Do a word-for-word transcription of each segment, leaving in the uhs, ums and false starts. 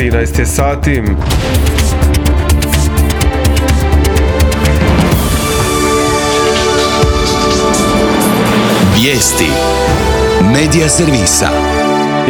trinaest je sati. Vijesti Medija servisa.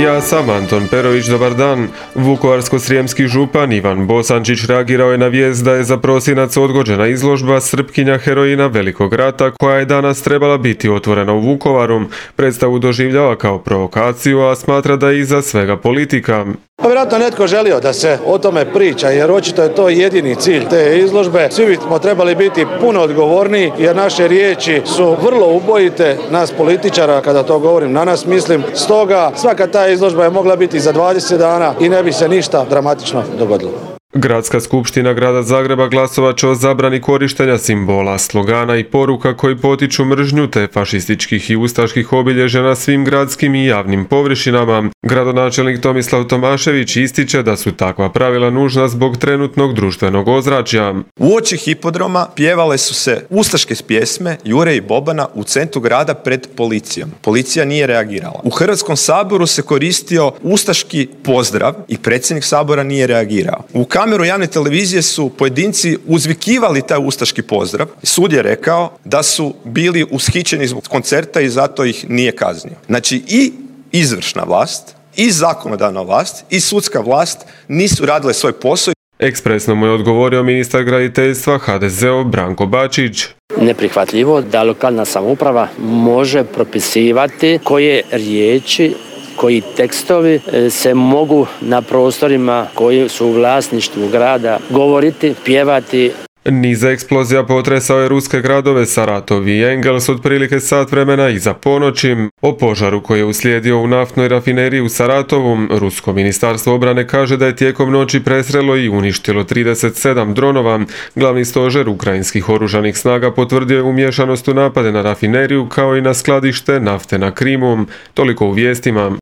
Ja sam Anton Perović, dobar dan. Vukovarsko-srijemski župan Ivan Bosančić reagirao je na vijest da je za prosinac odgođena izložba Srpkinja heroina Velikog rata koja je danas trebala biti otvorena u Vukovaru. Predstavu doživljava kao provokaciju, a smatra da je iza svega politika. Pa vjerojatno netko želio da se o tome priča, jer očito je to jedini cilj te izložbe. Svi bismo trebali biti puno odgovorniji, jer naše riječi su vrlo ubojite, nas političara, kada to govorim na nas mislim. Stoga svaka ta izložba je mogla biti za dvadeset dana i ne bi se ništa dramatično dogodilo. Gradska skupština grada Zagreba glasovat će o zabrani korištenja simbola, slogana i poruka koji potiču mržnju te fašističkih i ustaških obilježja na svim gradskim i javnim površinama. Gradonačelnik Tomislav Tomašević ističe da su takva pravila nužna zbog trenutnog društvenog ozračja. Uoči hipodroma pjevale su se ustaške pjesme Jure i Bobana u centru grada pred policijom. Policija nije reagirala. U Hrvatskom saboru se koristio ustaški pozdrav i predsjednik sabora nije reagirao. U kameru javne televizije su pojedinci uzvikivali taj ustaški pozdrav. Sud je rekao da su bili ushićeni zbog koncerta i zato ih nije kaznio. Znači i izvršna vlast, i zakonodavna vlast, i sudska vlast nisu radile svoj posao. Ekspresno mu je odgovorio ministar graditeljstva ha de ze-ov Branko Bačić. Neprihvatljivo da lokalna samouprava može propisivati koje riječi, koji tekstovi se mogu na prostorima koji su u vlasništvu grada govoriti, pjevati. Niz eksplozija potresao je ruske gradove Saratov i Engels otprilike sat vremena iza ponoći. O požaru koji je uslijedio u naftnoj rafineriji u Saratovu, rusko ministarstvo obrane kaže da je tijekom noći presrelo i uništilo trideset sedam dronova. Glavni stožer ukrajinskih oružanih snaga potvrdio je umiješanost u napade na rafineriju kao i na skladište nafte na Krimu. Toliko u vijestima.